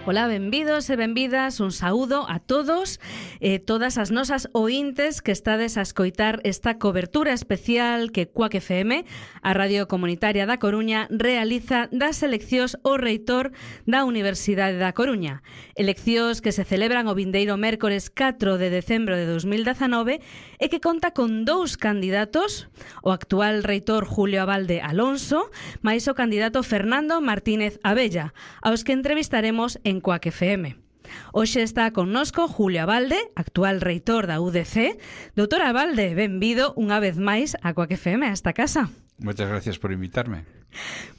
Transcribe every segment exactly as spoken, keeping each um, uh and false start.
Ola, benvidos e benvidas, un saúdo a todos e eh, todas as nosas ointes que estades a escoitar esta cobertura especial que Cuac F M, a Radio Comunitaria da Coruña, realiza das eleccións ao reitor da Universidade da Coruña. Eleccións que se celebran o vindeiro mércores catro de decembro de dos mil dezanove e que conta con dous candidatos, o actual reitor Julio Abalde Alonso, máis o candidato Fernando Martínez Abella, aos que entrevistaremos en Cuac F M. Hoxe está connosco Julio Abalde, actual reitor da U D C. Doutor Abalde, benvido unha vez máis a Cuac F M, a esta casa. Moitas gracias por invitarme.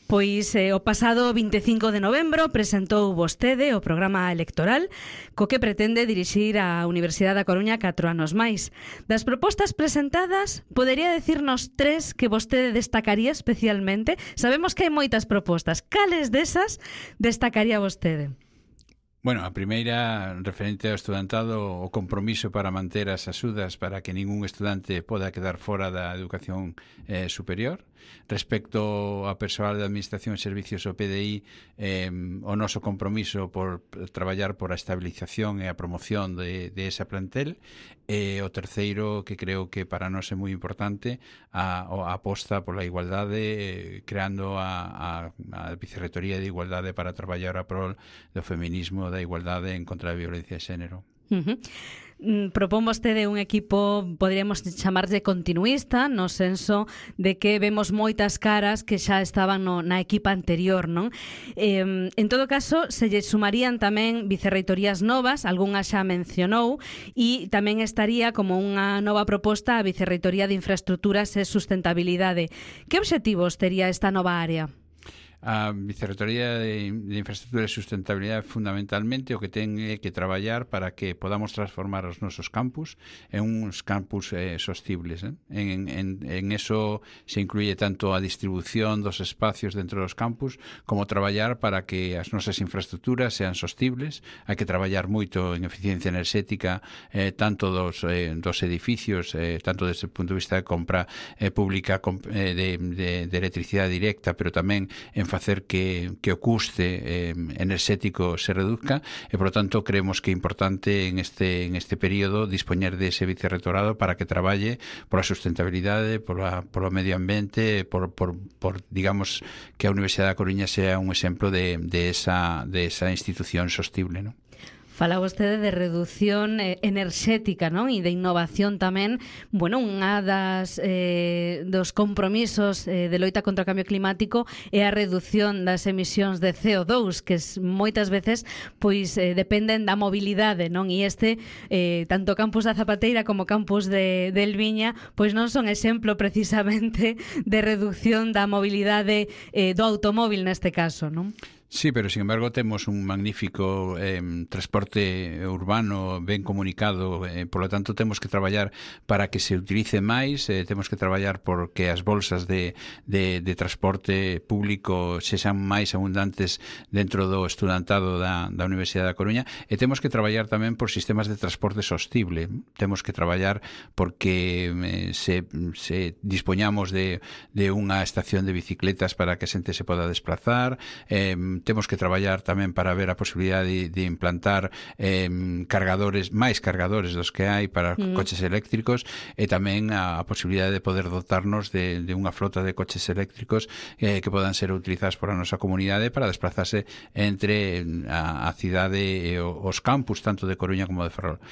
Pois eh, o pasado vinte e cinco de novembro presentou vostede o programa electoral co que pretende dirixir a Universidade da Coruña catro anos máis. Das propostas presentadas, podería decirnos tres que vostede destacaría especialmente? Sabemos que hai moitas propostas. Cales desas destacaría vostede? Bueno, a primeira, referente ao estudantado, o compromiso para manter as axudas para que ningún estudante poda quedar fora da educación eh, superior. Respecto ao persoal de Administración e Servicios o P D I, eh, o noso compromiso por traballar por a estabilización e a promoción de, de esa plantel. E o terceiro, que creo que para nós é moi importante, a, a aposta pola igualdade, eh, creando a, a, a Vicerrectoría de Igualdade para traballar a prol do feminismo, da igualdade en contra da violencia de xénero. Uh-huh. Mm, propón vostede un equipo, poderíamos chamarlle continuista, no senso de que vemos moitas caras que xa estaban no, na equipa anterior, non? Eh, en todo caso, se lle sumarían tamén vicerreitorías novas, algunhas xa mencionou, e tamén estaría como unha nova proposta a Vicerreitoría de Infraestructuras e Sustentabilidade. Que obxectivos tería esta nova área? A Vicerrectoría de, de Infraestructura e Sustentabilidade fundamentalmente o que ten é que traballar para que podamos transformar os nosos campus en uns campus eh, sostibles. Eh? En, en, en eso se incluye tanto a distribución dos espacios dentro dos campus como traballar para que as nosas infraestructuras sean sostibles. Hai que traballar moito en eficiencia enerxética eh, tanto dos, eh, dos edificios, eh, tanto desde o punto de vista de compra eh, pública eh, de, de, de electricidade directa, pero tamén en facer que, que o custe eh, enerxético se reduzca e, por lo tanto, creemos que é importante en este, en este período dispoñer dese vicerrectorado para que traballe pola sustentabilidade, pola, polo medio ambiente, por, por, por, digamos, que a Universidade da Coruña sea un exemplo de, de, esa, de esa institución sostible, ¿no? Fala vostede de reducción eh, enerxética, non? E de innovación tamén. Bueno, unha das eh, dos compromisos eh, de loita contra o cambio climático é a reducción das emisións de C O dous, que es, moitas veces pois eh, dependen da mobilidade, non? E este, eh, tanto campus da Zapateira como campus de, de Elviña, pois non son exemplo precisamente de reducción da mobilidade eh, do automóvil neste caso, non? Sí, pero sin embargo temos un magnífico eh, transporte urbano ben comunicado, eh, por lo tanto temos que traballar para que se utilice máis, eh, temos que traballar por que as bolsas de, de, de transporte público sexan máis abundantes dentro do estudantado da, da Universidade da Coruña, e temos que traballar tamén por sistemas de transporte sostible. Temos que traballar porque eh, se, se dispoñamos de, de unha estación de bicicletas para que a xente se poda desplazar, eh, temos que traballar tamén para ver a posibilidade de, de implantar eh, cargadores, máis cargadores dos que hai para mm. coches eléctricos, e tamén a, a posibilidade de poder dotarnos de, de unha flota de coches eléctricos eh, que podan ser utilizados por a nosa comunidade para desplazarse entre a, a cidade e os campus, tanto de Coruña como de Ferrol.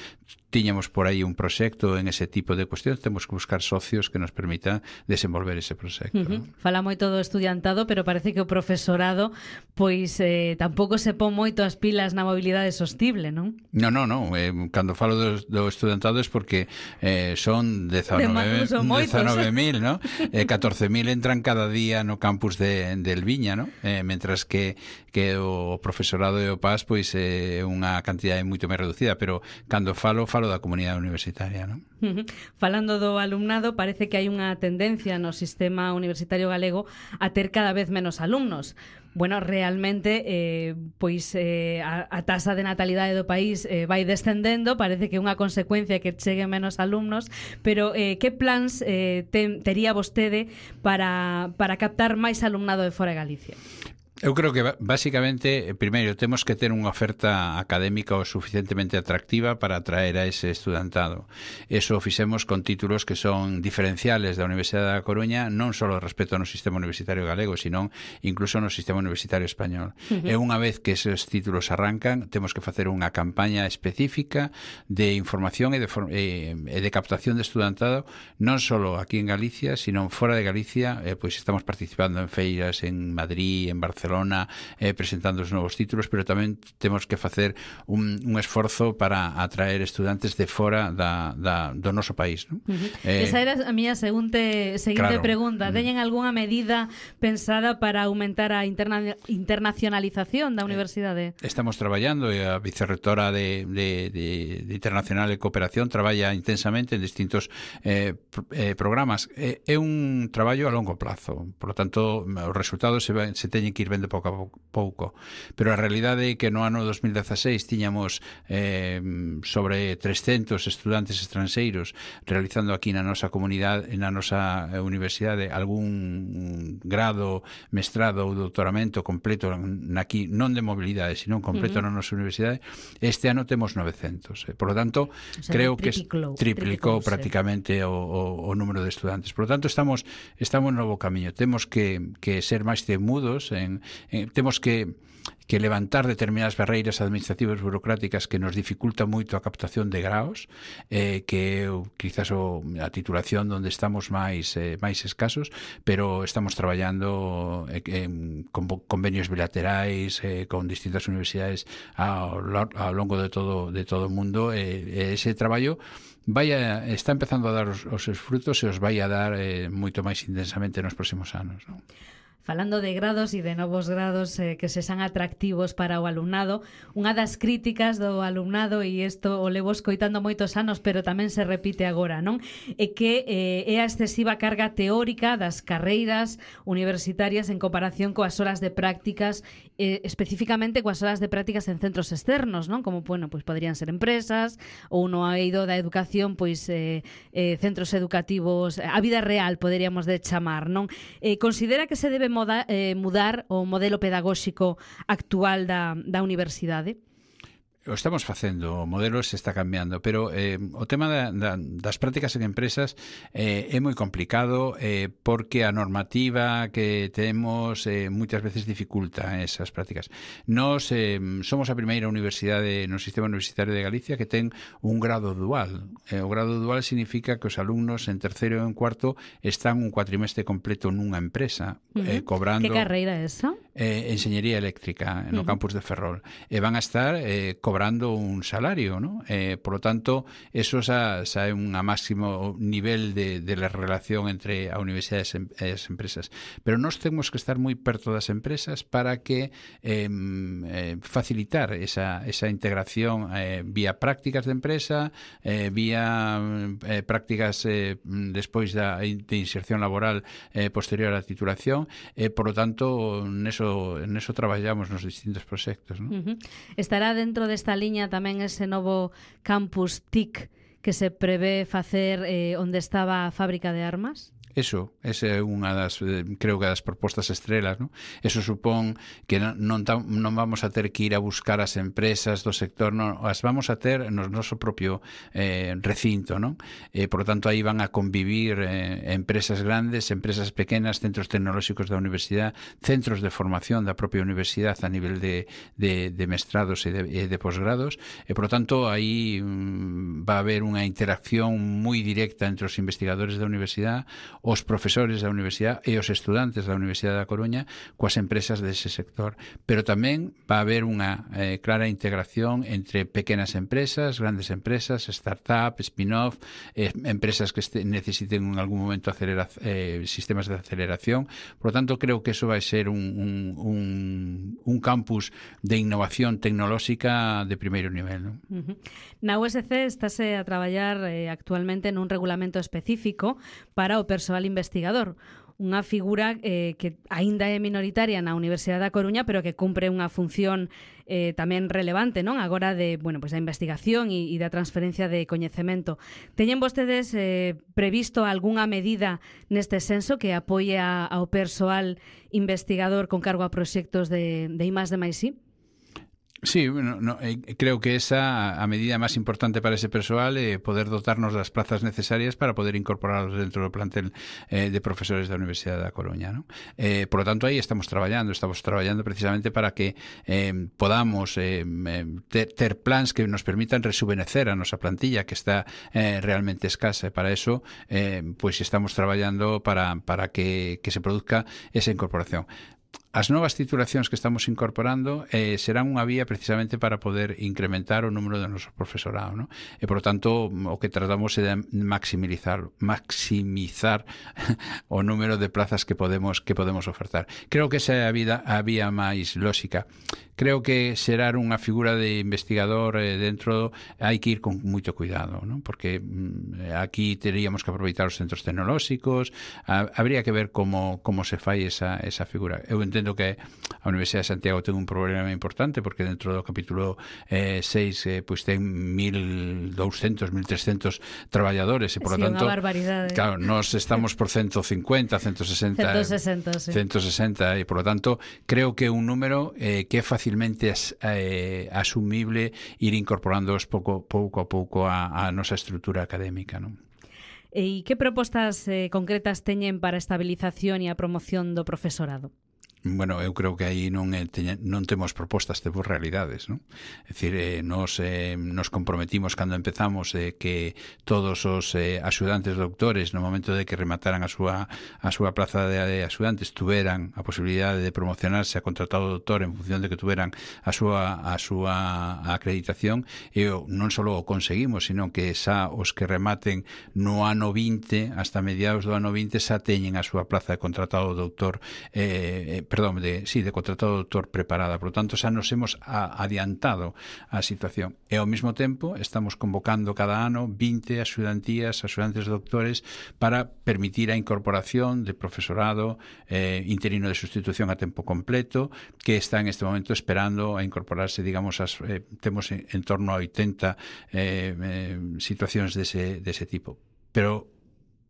Tiñamos por aí un proxecto en ese tipo de cuestións, temos que buscar socios que nos permitan desenvolver ese proxecto. Uh-huh. ¿no? Fala moito do estudiantado, pero parece que o profesorado pois eh, tampouco se pon moito as pilas na mobilidade sostible, non? Non, non, non. Eh, cando falo do, do estudiantado é porque eh, son dezanove mil, ¿no? Eh, catorce mil entran cada día no campus de, de Elviña, ¿no? Eh, mentras que, que o profesorado e o P A S pois é eh, unha cantidade moito máis reducida, pero cando falo, falo da comunidade universitaria, ¿no? Uh-huh. Falando do alumnado, parece que hai unha tendencia no sistema universitario galego a ter cada vez menos alumnos. Bueno, realmente eh, pois eh, a, a tasa de natalidade do país eh, vai descendendo, parece que é unha consecuencia que cheguen menos alumnos, pero eh, que plans eh, ten, tería vostede para, para captar máis alumnado de fora de Galicia? Eu creo que basicamente, primeiro, temos que ter unha oferta académica o suficientemente atractiva para atraer a ese estudantado. Eso o fixemos con títulos que son diferenciales da Universidade da Coruña, non só respecto no sistema universitario galego, sino incluso no sistema universitario español. Uh-huh. E unha vez que esos títulos arrancan, temos que facer unha campaña específica de información e de, e, e de captación de estudantado, non só aquí en Galicia, sino fora de Galicia. Eh, pois estamos participando en feiras en Madrid, en Barcelona, Barcelona, eh, presentando os novos títulos, pero tamén temos que facer un, un esforzo para atraer estudantes de fora da, da, do noso país, ¿no? Uh-huh. eh, Esa era a miña seguinte, seguinte claro. pregunta. Teñen algunha medida pensada para aumentar a interna, internacionalización da universidade? Eh, estamos traballando, e a vicerrectora de, de, de, de Internacional e Cooperación traballa intensamente en distintos eh, eh, programas. Eh, é un traballo a longo plazo, por lo tanto, os resultados se, se teñen que ir de pouco a pouco, pero a realidade é que no ano dos mil dieciséis tiñamos eh, sobre trescentos estudantes estranxeiros realizando aquí na nosa comunidade, na nosa universidade, algún grado, mestrado ou doutoramento completo aquí, non de mobilidade, sino completo uh-huh. na nosa universidade. Este ano temos novecentos, eh, por lo tanto, o sea, creo que triplicou, triplicou prácticamente o, o, o número de estudantes. Por lo tanto, estamos estamos no novo camiño. Temos que, que ser máis temudos en Eh, temos que, que levantar determinadas barreiras administrativas burocráticas que nos dificulta moito a captación de graos, eh, que é quizás o, a titulación onde estamos máis eh, máis escasos, pero estamos traballando eh, en, con convenios bilaterais eh, con distintas universidades ao, ao longo de todo de todo o mundo. Eh, ese traballo vai a, está empezando a dar os, os seus frutos e os vai a dar eh, moito máis intensamente nos próximos anos, non? Falando de grados e de novos grados eh, que se san atractivos para o alumnado, unha das críticas do alumnado, e isto o levo escoitando moitos anos, pero tamén se repite agora, non? É que eh, é a excesiva carga teórica das carreiras universitarias en comparación coas horas de prácticas, eh, especificamente coas horas de prácticas en centros externos, non? Como, bueno, pois podrían ser empresas ou no eido da educación, pois eh, eh, centros educativos, a vida real, poderíamos de chamar, non? Eh, considera que se debe moda, eh, mudar o modelo pedagóxico actual da, da universidade? O estamos facendo, o modelo se está cambiando, pero eh, o tema da, da, das prácticas en empresas eh, é moi complicado eh, porque a normativa que temos eh, moitas veces dificulta esas prácticas. Nos eh, somos a primeira universidade no sistema universitario de Galicia que ten un grado dual. Eh, o grado dual significa que os alumnos en terceiro e en cuarto están un cuatrimestre completo nunha empresa, uh-huh. eh, cobrando... Que carreira é esa? Eh, Enxeñería eléctrica no uh-huh. campus de Ferrol. E van a estar eh, cobrando cobrando un salario, ¿no? Eh, por lo tanto, eso xa, xa é un máximo nivel de, de la relación entre a universidade e as empresas. Pero nós temos que estar moi perto das empresas para que eh, eh, facilitar esa, esa integración eh, vía prácticas de empresa, eh, vía eh, prácticas eh, despois da de inserción laboral eh, posterior á titulación. Eh, por lo tanto, neso, neso traballamos nos distintos proxectos, ¿no? Uh-huh. Estará dentro desta liña tamén ese novo campus T I C que se prevé facer eh, onde estaba a fábrica de armas? Eso, esa é unha das, creo que das propostas estrelas, ¿no? Eso supón que non, non, non vamos a ter que ir a buscar as empresas do sector, non, as vamos a ter no noso propio eh, recinto, ¿no? Eh, por lo tanto, aí van a convivir eh, empresas grandes, empresas pequenas, centros tecnolóxicos da universidade, centros de formación da propia universidade a nivel de, de, de mestrados e de, e de posgrados, e por lo tanto, aí mm, va a haber unha interacción moi directa entre os investigadores da universidade, os profesores da universidade e os estudantes da Universidade da Coruña coas empresas dese sector. Pero tamén va a haber unha eh, clara integración entre pequenas empresas, grandes empresas, startup, spin-off, eh, empresas que este, necesiten en algún momento acelera, eh, sistemas de aceleración. Por lo tanto, creo que eso vai ser un, un, un, un campus de innovación tecnolóxica de primeiro nivel, ¿no? Uh-huh. Na U S C estáse a traballar eh, actualmente nun regulamento específico para o persoal investigador. unha figura eh, que aínda é minoritaria na Universidade da Coruña, pero que cumpre unha función eh, tamén relevante, non? Agora de, bueno, pues da investigación e, e da transferencia de coñecemento. Teñen vostedes eh, previsto algunha medida neste senso que apoie a, ao persoal investigador con cargo a proxectos de, de I más D máis I? Sí, bueno, no, eh, creo que esa a medida máis importante para ese persoal é eh, poder dotarnos das plazas necesarias para poder incorporarlos dentro do plantel eh, de profesores da Universidade da Coruña, ¿no? Eh, por lo tanto, aí estamos traballando, estamos traballando precisamente para que eh, podamos eh, ter, ter plans que nos permitan rejuvenecer a nosa plantilla que está eh, realmente escasa, e para eso eh, pues estamos traballando para, para que, que se produzca esa incorporación. As novas titulacións que estamos incorporando eh, serán unha vía precisamente para poder incrementar o número do noso profesorado, ¿no? E, por tanto, o que tratamos é de maximizar, maximizar o número de plazas que podemos que podemos ofertar. Creo que esa é a, vida, a vía máis lóxica. Creo que xerar unha figura de investigador eh, dentro hai que ir con moito cuidado, ¿no? Porque mm, aquí teríamos que aproveitar os centros tecnolóxicos, a, habría que ver como, como se fai esa, esa figura. Eu entendo que a Universidade de Santiago ten un problema importante porque dentro do capítulo eh, seis eh, pues ten mil douscentos, mil trescentos traballadores e, por lo sí, tanto, unha barbaridade. Claro, nos estamos por ciento cincuenta, ciento sesenta, ciento sesenta, sí. ciento sesenta e, por lo tanto, creo que é un número eh, que é facilmente as, eh, asumible ir incorporándoos pouco, pouco a pouco a, a nosa estrutura académica, non? E que propostas eh, concretas teñen para a estabilización e a promoción do profesorado? Bueno, eu creo que aí non é, teña, non temos propostas, temos realidades, non? É dicir, eh, nos, eh, nos comprometimos cando empezamos eh, que todos os eh, axudantes doutores no momento de que remataran a súa, a súa plaza de, de axudantes tuveran a posibilidade de promocionarse a contratado doutor en función de que tuveran a súa, a súa acreditación, e non só o conseguimos, sino que xa os que rematen no ano vinte, hasta mediados do ano vinte, xa teñen a súa plaza de contratado doutor eh, perdón, de, sí, de contratado doutor preparada. Por lo tanto, xa nos hemos a, adiantado a situación. E ao mesmo tempo estamos convocando cada ano vinte axudantías, axudantes doutores para permitir a incorporación de profesorado eh, interino de sustitución a tempo completo que está en este momento esperando a incorporarse, digamos, as, eh, temos en, en torno a oitenta eh, eh, situacións dese, dese tipo. Pero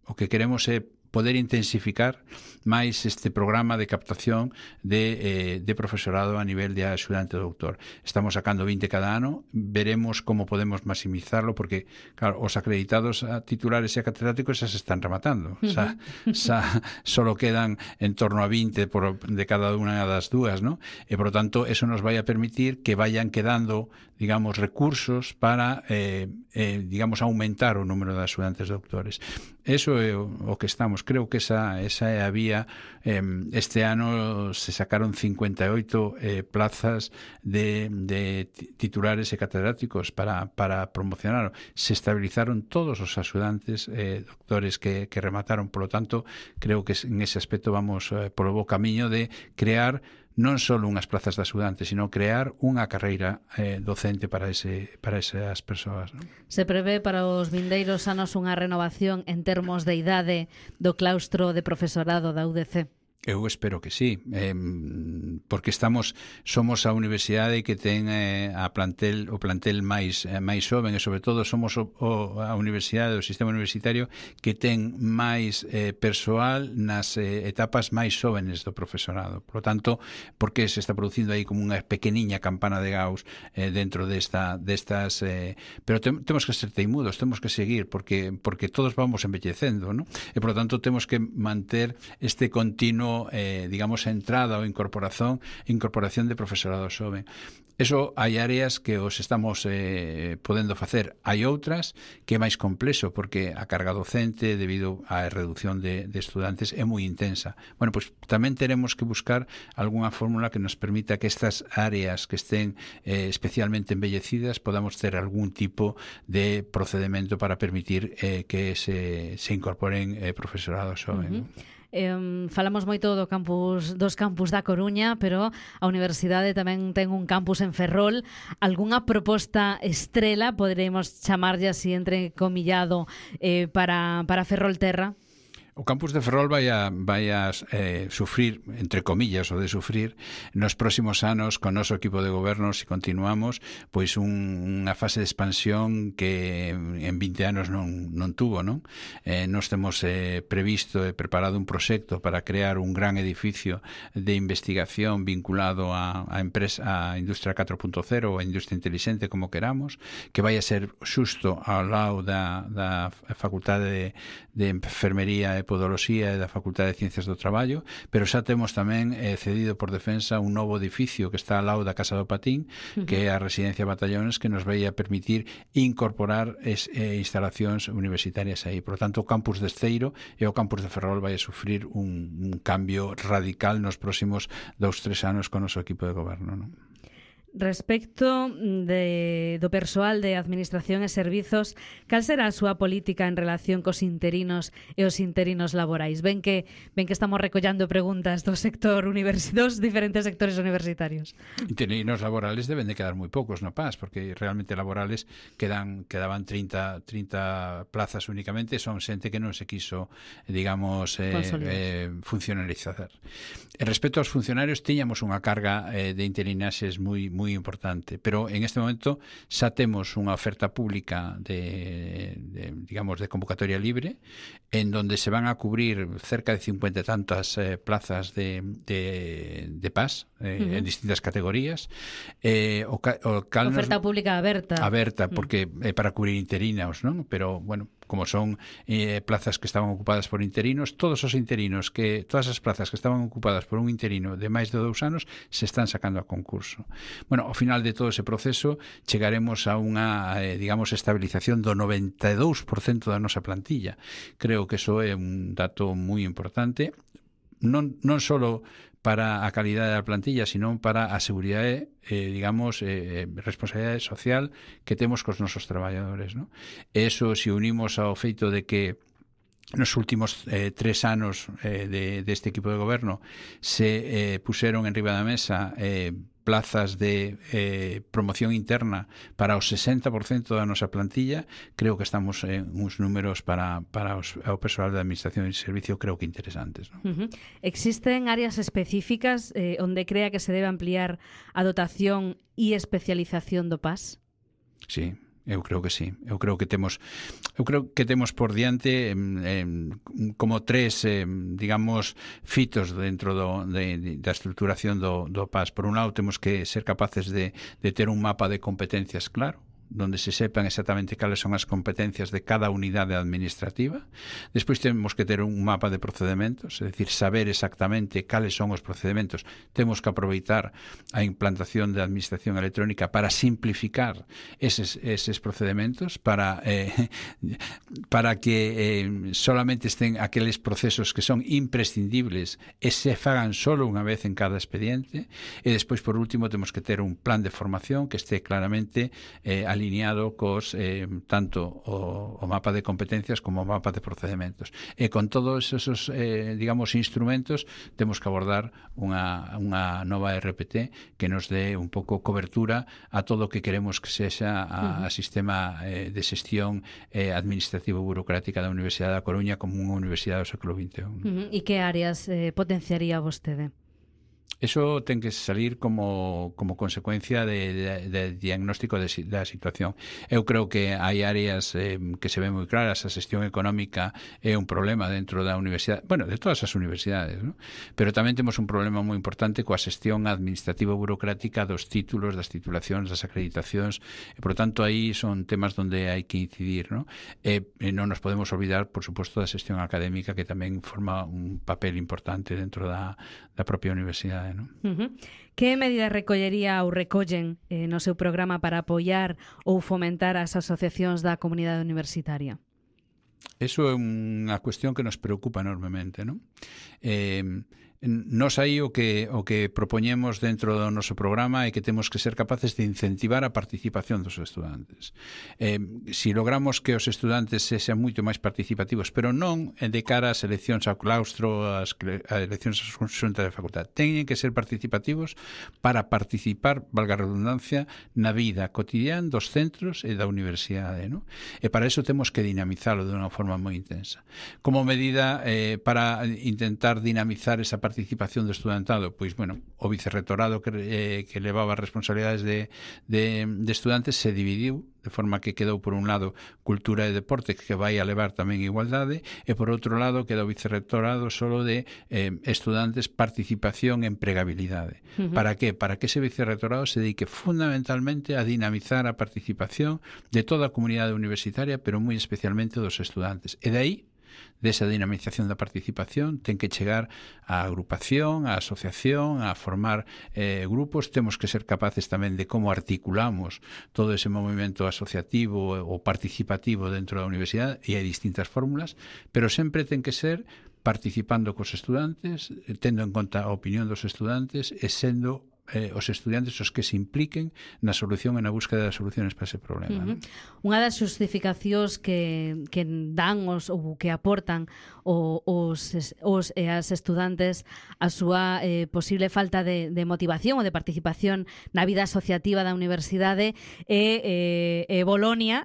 o que queremos é poder intensificar máis este programa de captación de, eh, de profesorado a nivel de axudante doutor. Estamos sacando vinte cada ano, veremos como podemos maximizarlo, porque, claro, os acreditados a titulares e a catedráticos xa se están rematando. Xa, xa solo quedan en torno a vinte por, de cada unha das dúas, ¿no? E, por lo tanto, eso nos vai a permitir que vayan quedando, digamos, recursos para, eh, eh, digamos, aumentar o número de axudantes doutores. Eso é o, o que estamos. Creo que esa, esa é a vía. Eh, este ano se sacaron cincuenta e oito eh, plazas de, de titulares e catedráticos para, para promocionar. Se estabilizaron todos os axudantes eh, doctores que, que remataron. Por lo tanto, creo que en ese aspecto vamos eh, polo bo camiño de crear non só unhas plazas de axudante, sino crear unha carreira eh, docente para ese para esas persoas, non? Se prevé para os vindeiros anos unha renovación en termos de idade do claustro de profesorado da U D C? Eu espero que sí, eh, porque estamos somos a universidade que ten eh, a plantel o plantel máis eh, máis xoven, e sobre todo somos o, o, a universidade, o sistema universitario que ten máis eh, persoal nas eh, etapas máis xóvenes do profesorado. Por lo tanto, porque se está producindo aí como unha pequeniña campana de Gauss eh, dentro desta destas eh, pero te, temos que ser teimudos, temos que seguir porque porque todos vamos envellecendo, ¿no? E por lo tanto temos que manter este continuo Eh, digamos, entrada ou incorporación incorporación de profesorado xoven. Eso hai áreas que os estamos eh, podendo facer. Hai outras que é máis complexo porque a carga docente debido á reducción de, de estudantes é moi intensa. Bueno, pois pues, tamén teremos que buscar algunha fórmula que nos permita que estas áreas que estén eh, especialmente embellecidas podamos ter algún tipo de procedimento para permitir eh, que se, se incorporen eh, profesorado xoven. Uh-huh. Eh, falamos moito do campus, dos campus da Coruña, pero a universidade tamén ten un campus en Ferrol. Algúnha proposta estrela, poderemos chamarlle así entre comillado, eh, para, para Ferrolterra? O campus de Ferrol vai a, vai a eh, sufrir, entre comillas, o de sufrir, nos próximos anos, con noso equipo de goberno, se continuamos, pois un, unha fase de expansión que en vinte anos non, non tuvo, non? Eh, nos temos eh, previsto e preparado un proxecto para crear un gran edificio de investigación vinculado a, a empresa, a industria catro punto cero ou a industria inteligente, como queramos, que vai a ser xusto ao lado da, da Facultade de, de Enfermería e Podoloxía e da Facultade de Ciencias do Traballo, pero xa temos tamén eh, cedido por Defensa un novo edificio que está ao lado da Casa do Patín, uh-huh. que é a Residencia Batallones, que nos vai a permitir incorporar es, eh, instalacións universitarias aí. Por lo tanto, o campus de Esteiro e o campus de Ferrol vai a sufrir un, un cambio radical nos próximos dous, tres anos con o noso equipo de goberno, non? Respecto de, do persoal de Administración e Servizos, cal será a súa política en relación cos interinos e os interinos laborais? Ben que ben que estamos recollando preguntas do sector universi- dos diferentes sectores universitarios. Interinos laborales deben de quedar moi poucos no P A S, porque realmente laborales quedan quedaban trinta, trinta plazas únicamente, son xente que non se quiso, digamos, eh, eh, funcionalizar. E respecto aos funcionarios, tiñamos unha carga eh, de interinaxes moi moi importante, pero en este momento xa temos unha oferta pública de, de digamos, de convocatoria libre, en donde se van a cubrir cerca de cincuenta e tantas eh, plazas de, de, de P A S eh, uh-huh. en distintas categorías. Eh, o, o cal oferta nos, pública aberta. Aberta, porque é eh, para cubrir interinos, non? Pero, bueno, como son eh, plazas que estaban ocupadas por interinos, todos os interinos, que todas as plazas que estaban ocupadas por un interino de máis de dous anos se están sacando a concurso. Bueno, ao final de todo ese proceso chegaremos a unha, eh, digamos, estabilización do noventa e dous por cento da nosa plantilla. Creo que eso é un dato moi importante, non, non só para a calidade da plantilla, sino para a seguridade, eh, digamos, eh, responsabilidade social que temos cos nosos traballadores, ¿no? E eso, se unimos ao feito de que nos últimos eh, tres anos eh, de, de este equipo de goberno se eh, puseron en riba da mesa eh, plazas de eh, promoción interna para o sesenta por cento da nosa plantilla, creo que estamos en uns números para, para os, o persoal da Administración e Servicio creo que interesantes, ¿no? Uh-huh. Existen áreas específicas eh, onde crea que se debe ampliar a dotación e especialización do P A S? Sí. Eu creo que sí. Eu creo que temos eu creo que temos por diante eh, como tres, eh, digamos, fitos dentro do, de, de, da estruturación do, do P A S. Por un lado, temos que ser capaces de, de ter un mapa de competencias claro, donde se sepan exactamente cales son as competencias de cada unidade administrativa. Despois temos que ter un mapa de procedementos, é dicir, saber exactamente cales son os procedementos. Temos que aproveitar a implantación da administración electrónica para simplificar eses, eses procedementos, para eh, para que eh, solamente estén aqueles procesos que son imprescindibles e se fagan solo unha vez en cada expediente. E despois, por último, temos que ter un plan de formación que este claramente eh, alineado cos eh, tanto o, o mapa de competencias como o mapa de procedimentos. E con todos esos, eh, digamos, instrumentos temos que abordar unha, unha nova R P T que nos dé un pouco cobertura a todo o que queremos que sexa a, a sistema eh, de xestión eh, administrativo burocrática da Universidade da Coruña como unha universidade do século vinte e un. Uh-huh. E que áreas eh, potenciaría vostede? Eso ten que salir como, como consecuencia de, de, de diagnóstico de, da situación. Eu creo que hai áreas eh, que se ven moi claras. A xestión económica é un problema dentro da universidade, bueno, de todas as universidades, ¿no? Pero tamén temos un problema moi importante coa xestión administrativa burocrática dos títulos, das titulacións, das acreditacións, e, por tanto, aí son temas onde hai que incidir, ¿no? E, e non nos podemos olvidar, por suposto, da xestión académica, que tamén forma un papel importante dentro da, da propia universidade, ¿no? Uh-huh. Que medidas recollería ou recollen eh, no seu programa para apoiar ou fomentar as asociacións da comunidade universitaria? Eso é unha cuestión que nos preocupa enormemente, ¿no? Eh, Nos aí o que o que propoñemos dentro do noso programa é que temos que ser capaces de incentivar a participación dos estudantes. Eh, si logramos que os estudantes sexan moito máis participativos, pero non de cara ás eleccións ao claustro, ás, ás eleccións ás xuntas de facultad, teñen que ser participativos para participar, valga a redundancia, na vida cotidiana dos centros e da universidade, ¿no? E para eso temos que dinamizalo de unha forma moi intensa. Como medida eh, para intentar dinamizar esa participación do estudantado, pois, bueno, o vicerrectorado que, eh, que levaba as responsabilidades de, de, de estudantes se dividiu, de forma que quedou por un lado cultura e deporte, que vai a levar tamén igualdade, e por outro lado quedou o vicerrectorado solo de eh, estudantes, participación e empregabilidade. Uh-huh. Para que? Para que ese vicerrectorado se dedique fundamentalmente a dinamizar a participación de toda a comunidade universitaria, pero moi especialmente dos estudantes. E de aí, desa dinamización da participación, ten que chegar á agrupación, á asociación, a formar eh, grupos. Temos que ser capaces tamén de como articulamos todo ese movimento asociativo ou participativo dentro da universidade, e hai distintas fórmulas, pero sempre ten que ser participando cos estudantes, tendo en conta a opinión dos estudantes e sendo Eh, os estudantes os que se impliquen na solución e na búsqueda de soluciones para ese problema. Uh-huh. ¿No? Unha das xustificacións que, que dan os, ou que aportan o, os, os e as estudantes a súa eh, posible falta de, de motivación ou de participación na vida asociativa da universidade é, eh, é Bolonia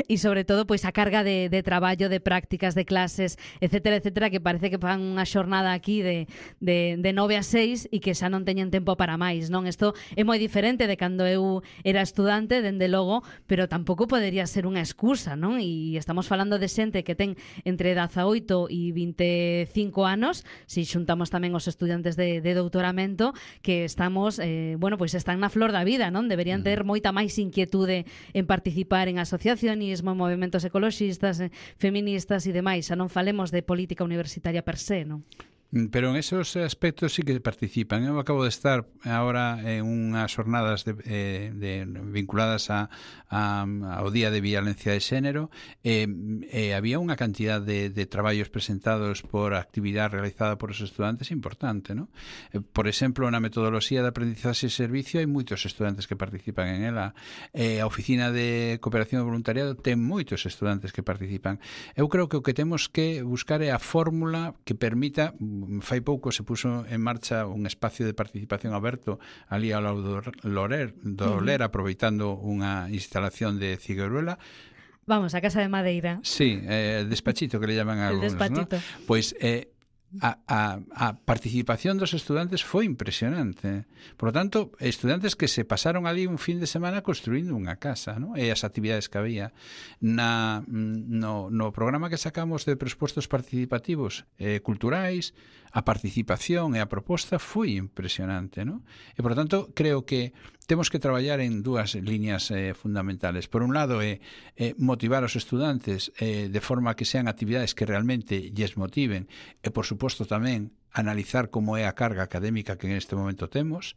e sobre todo pois a carga de, de traballo, de prácticas, de clases, etcétera, etcétera, que parece que fan unha xornada aquí de, de, de nove a seis e que xa non teñen tempo para máis. Non, isto é moi diferente de cando eu era estudante, dende logo, pero tampouco podería ser unha excusa, non? E estamos falando de xente que ten entre dezaoito e vinte e cinco anos, se xuntamos tamén os estudantes de, de doutoramento, que estamos, eh, bueno, pois están na flor da vida, non? Deberían ter moita máis inquietude en participar en asociacionismo, en movimentos ecoloxistas, feministas e demais, xa non falemos de política universitaria per se, non? Pero en esos aspectos sí que participan. Eu acabo de estar ahora en unhas jornadas de, eh, de, vinculadas a, a, ao Día de Violencia de Xénero, e eh, eh, había unha cantidad de, de traballos presentados por actividade realizada por os estudantes importante, ¿no? Eh, por exemplo, na metodoloxía de aprendizaxe e servicio hai moitos estudantes que participan en ela. Eh, a Oficina de Cooperación e Voluntariado ten moitos estudantes que participan. Eu creo que o que temos que buscar é a fórmula que permita. Fai pouco se puso en marcha un espacio de participación aberto ali ao lado do Lorer, do Ler, aproveitando unha instalación de Cigueruela. Vamos, a Casa de Madeira. Sí, eh, despachito que le llaman a algunos, ¿no? Pois eh, A, a, a participación dos estudantes foi impresionante. Por lo tanto, estudantes que se pasaron ali un fin de semana construindo unha casa, ¿no? E as actividades que había na, no, no programa que sacamos de presupostos participativos eh, culturais, a participación e a proposta foi impresionante, ¿no? E, por lo tanto, creo que temos que traballar en dúas líneas eh, fundamentales. Por un lado, é eh, eh, motivar os estudantes eh, de forma que sean actividades que realmente lles motiven, e, por suposto, tamén analizar como é a carga académica que en este momento temos.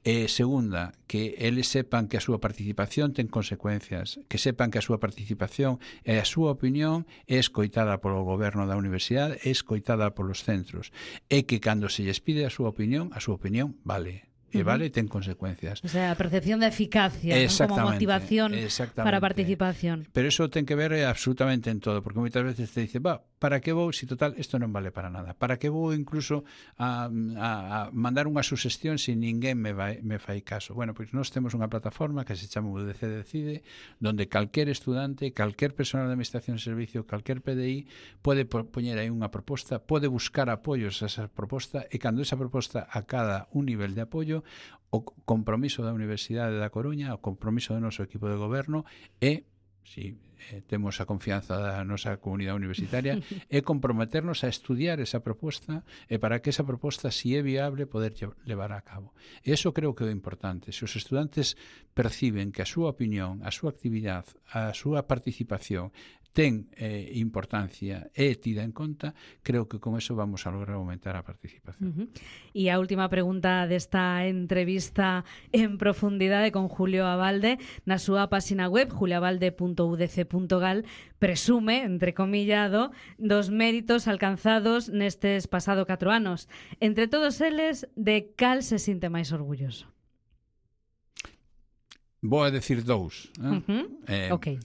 E, segunda, que eles sepan que a súa participación ten consecuencias, que sepan que a súa participación e a súa opinión é escoitada polo goberno da universidade, é escoitada polos centros, e que cando se lles pide a súa opinión, a súa opinión vale. E vale, ten consecuencias. O sea, a percepción de eficacia, ¿no? Como motivación para a participación. Pero eso ten que ver absolutamente en todo, porque moitas veces te dice, va, para que vou, si total, isto non vale para nada? Para que vou incluso a, a, a mandar unha sugestión se ninguén me, vai, me fai caso? Bueno, pois nós temos unha plataforma que se chama U D C Decide, donde calquer estudante, calquer personal de administración de servicio, calquer P D I pode poñer aí unha proposta, pode buscar apoios a esa proposta, e cando esa proposta acada un nivel de apoio, o compromiso da Universidade da Coruña, o compromiso do noso equipo de goberno é, si eh, temos a confianza da nosa comunidade universitaria, é comprometernos a estudiar esa proposta, e para que esa proposta, si é viable, poder levar a cabo. E iso creo que é importante. Se os estudantes perciben que a súa opinión, a súa actividade, a súa participación ten eh, importancia e tida en conta, creo que con eso vamos a lograr aumentar a participación. Uh-huh. E a última pregunta desta entrevista en profundidade con Julio Abalde, na súa página web julioabalde punto u d c punto gal, presume, entrecomillado, dos méritos alcanzados nestes pasado catro anos. Entre todos eles, de cal se sinte máis orgulloso? Vou a decir dous. Eh? Uh-huh. Eh, ok.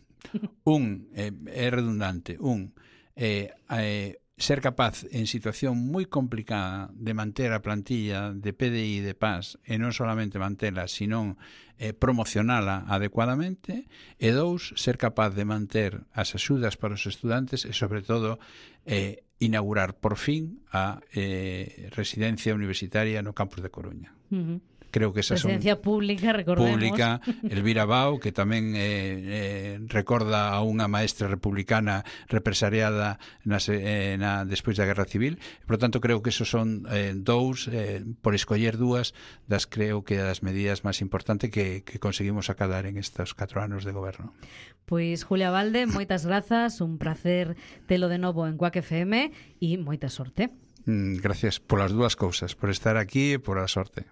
Un, eh, é redundante, un, eh, eh, ser capaz en situación moi complicada de manter a plantilla de P D I de P A S e non solamente mantela, sino eh, promocionala adecuadamente, e dous, ser capaz de manter as axudas para os estudantes e, sobre todo, eh, inaugurar por fin a eh, residencia universitaria no campus de Coruña. Uh-huh. Creo que esa Residencia son pública, recordemos. Pública, Elvira Bao, que tamén eh, eh, recorda a unha maestra republicana represariada nas, eh, na, despois da Guerra Civil. Por lo tanto, creo que esos son eh, dous, eh, por escoller dúas, das creo que das medidas máis importantes que, que conseguimos acadar en estes catro anos de goberno. Pois, Julio Abalde, moitas grazas, un placer telo de novo en Quack F M e moita sorte. Mm, gracias polas dúas cousas, por estar aquí e por a sorte.